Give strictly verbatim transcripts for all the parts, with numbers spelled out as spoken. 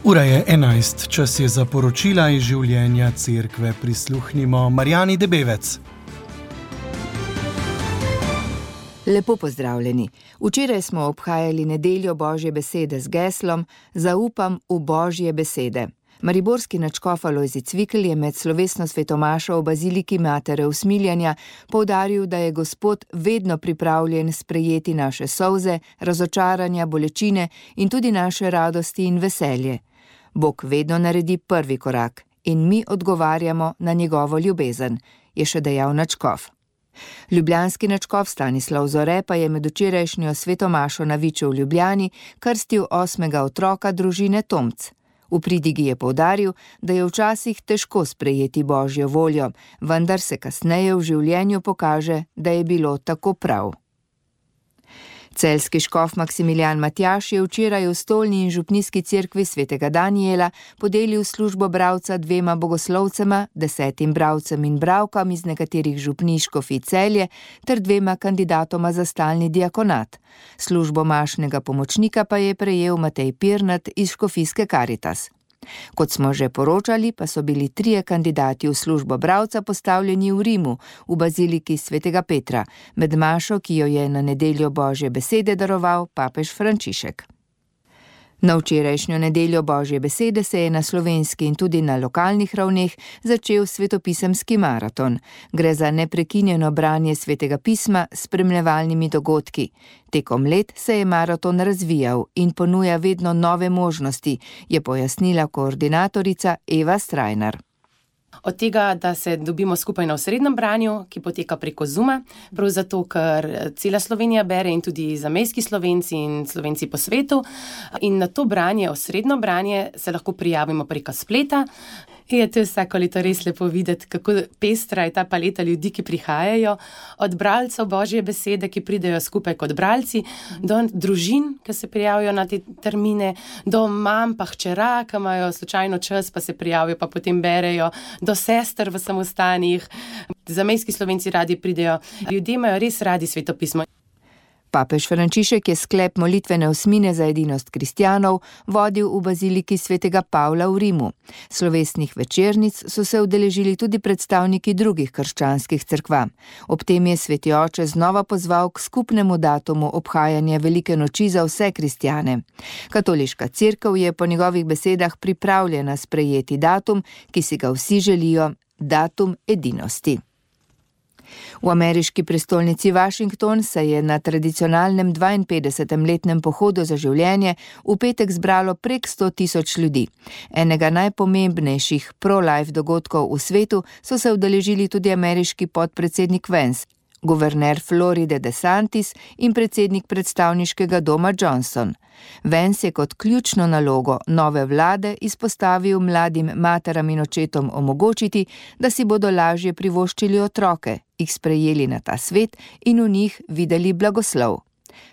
Ura je enajst, čas je za poročila iz življenja cerkve. Prisluhnimo Marjani Debevec. Lepo pozdravljeni. Včeraj smo obhajali nedeljo Božje besede z geslom Zaupam v Božje besede. Mariborski nadškof Alojzij Cvikl je med slovesno svetomašo v baziliki Matere Usmiljanja poudaril, da je Gospod vedno pripravljen sprejeti naše solze, razočaranja, bolečine in tudi naše radosti in veselje. Bog vedno naredi prvi korak in mi odgovarjamo na njegovo ljubezen, je še dejal nadškof. Ljubljanski nadškof Stanislav Zore pa je med včerajšnjo svetomašo na Viču v Ljubljani krstil osmega otroka družine Tomc. V pridigi je poudaril, da je včasih težko sprejeti Božjo voljo, vendar se kasneje v življenju pokaže, da je bilo tako prav. Celjski škof Maksimilijan Matjaž je včeraj v Stolni in župnijski cerkvi svetega Danijela podelil službo bralca dvema bogoslovcema, desetim bralcem in bralkam iz nekaterih župnij škofij Celje ter dvema kandidatoma za stalni diakonat. Službo mašnega pomočnika pa je prejel Matej Pirnat iz škofijske Karitas. Kot smo že poročali, pa so bili trije kandidati v službo bralca postavljeni v Rimu, v baziliki svetega Petra, med mašo, ki jo je na nedeljo Božje besede daroval papež Frančišek. Na včerajšnjo nedeljo Božje besede se je na slovenski in tudi na lokalnih ravneh začel svetopisemski maraton. Gre za neprekinjeno branje svetega pisma s spremljevalnimi dogodki. Tekom let se je maraton razvijal in ponuja vedno nove možnosti, je pojasnila koordinatorica Eva Strajnar. Od tega, da se dobimo skupaj na osrednjem branju, ki poteka preko Zooma, prav zato, ker cela Slovenija bere in tudi zamejski Slovenci in Slovenci po svetu. In na to branje, osrednjo branje, se lahko prijavimo preko spleta. Je to vsako leto res lepo videti, kako pestra je ta paleta ljudi, ki prihajajo, od bralcev Božje besede, ki pridejo skupaj kot bralci, do družin, ki se prijavijo na te termine, do mam pa hčera, ki imajo slučajno čas, pa se prijavijo, pa potem berejo, do sester v samostanih. Zamejski Slovenci radi pridejo. Ljudje imajo res radi svetopismo. Papež Frančišek je sklep molitvene osmine za edinost kristjanov vodil v baziliki svetega Pavla v Rimu. Slovesnih večernic so se udeležili tudi predstavniki drugih krščanskih cerkva. Ob tem je sveti oče znova pozval k skupnemu datumu obhajanja velike noči za vse kristjane. Katoliška cerkev je po njegovih besedah pripravljena sprejeti datum, ki si ga vsi želijo, datum edinosti. V ameriški prestolnici Washington se je na tradicionalnem dvainpetdesetem letnem pohodu za življenje v petek zbralo prek sto tisoč ljudi. Enega najpomembnejših pro-life dogodkov v svetu so se udeležili tudi ameriški podpredsednik Vance, guverner Floride DeSantis in predsednik predstavniškega doma Johnson. Vance je kot ključno nalogo nove vlade izpostavil mladim materam in očetom omogočiti, da si bodo lažje privoščili otroke, jih sprejeli na ta svet in v njih videli blagoslov.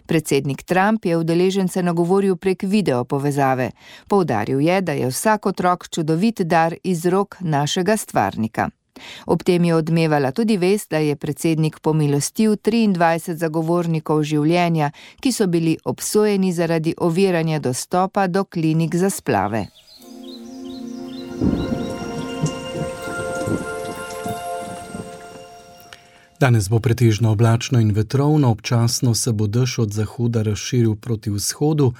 Predsednik Trump je udeležence nagovoril prek video povezave. Poudaril je, da je vsak otrok čudovit dar iz rok našega stvarnika. Ob tem je odmevala tudi vest, da je predsednik pomilostil triindvajset zagovornikov življenja, ki so bili obsojeni zaradi oviranja dostopa do klinik za splave. Danes bo pretežno oblačno in vetrovno, občasno se bo dež od zahoda razširil proti vzhodu,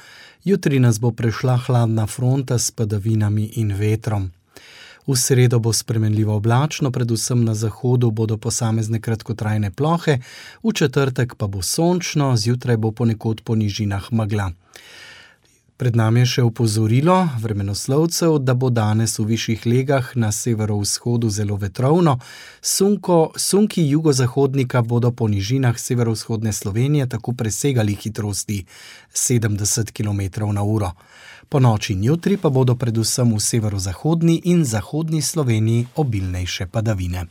jutri nas bo prešla hladna fronta s padavinami in vetrom. V sredo bo spremenljivo oblačno, predvsem na zahodu bodo posamezne kratkotrajne plohe, v četrtek pa bo sončno, zjutraj bo ponekod po nižinah megla. Pred nami je še opozorilo vremenoslovcev, da bo danes v višjih legah na severovzhodu zelo vetrovno. Sunko, sunki jugozahodnika bodo po nižinah severovzhodne Slovenije tako presegali hitrosti sedemdeset kilometrov na uro. Po noči in jutri pa bodo predvsem v severozahodni in zahodni Sloveniji obilnejše padavine.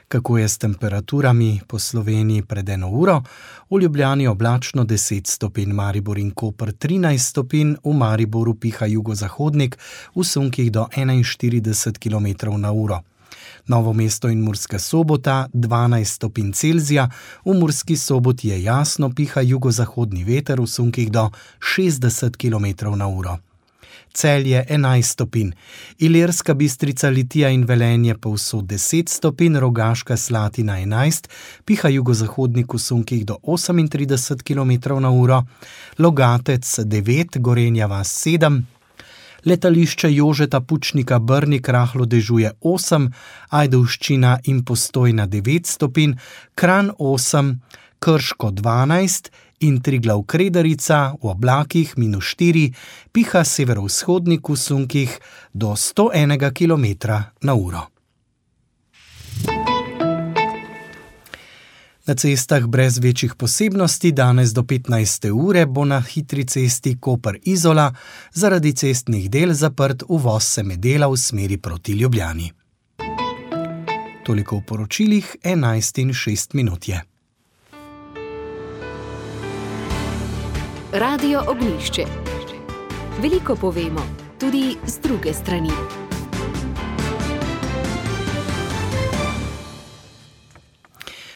Kako je s temperaturami po Sloveniji pred eno uro? V Ljubljani oblačno deset stopinj, Maribor in Koper trinajst stopinj, v Mariboru piha jugozahodnik, v sunkih do enainštirideset kilometrov na uro. Novo mesto in Murska Sobota dvanajst stopinj Celzija, v Murski Soboti je jasno, piha jugozahodni veter v sunkih do šestdeset kilometrov na uro. Celje enajst stopinj, Ilirska Bistrica, Litija in Velenje povsod deset stopinj, Rogaška Slatina enajst, piha jugozahodnik v sunkih do osemintrideset kilometrov na uro, Logatec devet, Gorenja vas sedem, Letališče Jožeta Pučnika Brnik rahlo dežuje osem, Ajdovščina in Postojna devet stopinj, Kranj osem, Krško dvanajst in Triglav Kredarica v oblakih minus štiri, piha severovzhodnik v sunkih do sto enega kilometra na uro. Na cestah brez večjih posebnosti danes do petnajste ure bo na hitri cesti Koper-Izola zaradi cestnih del zaprt uvoz semedela v smeri proti Ljubljani. Toliko v poročilih, enajst in šest minut je. Radio Ognjišče. Veliko povemo, tudi z druge strani.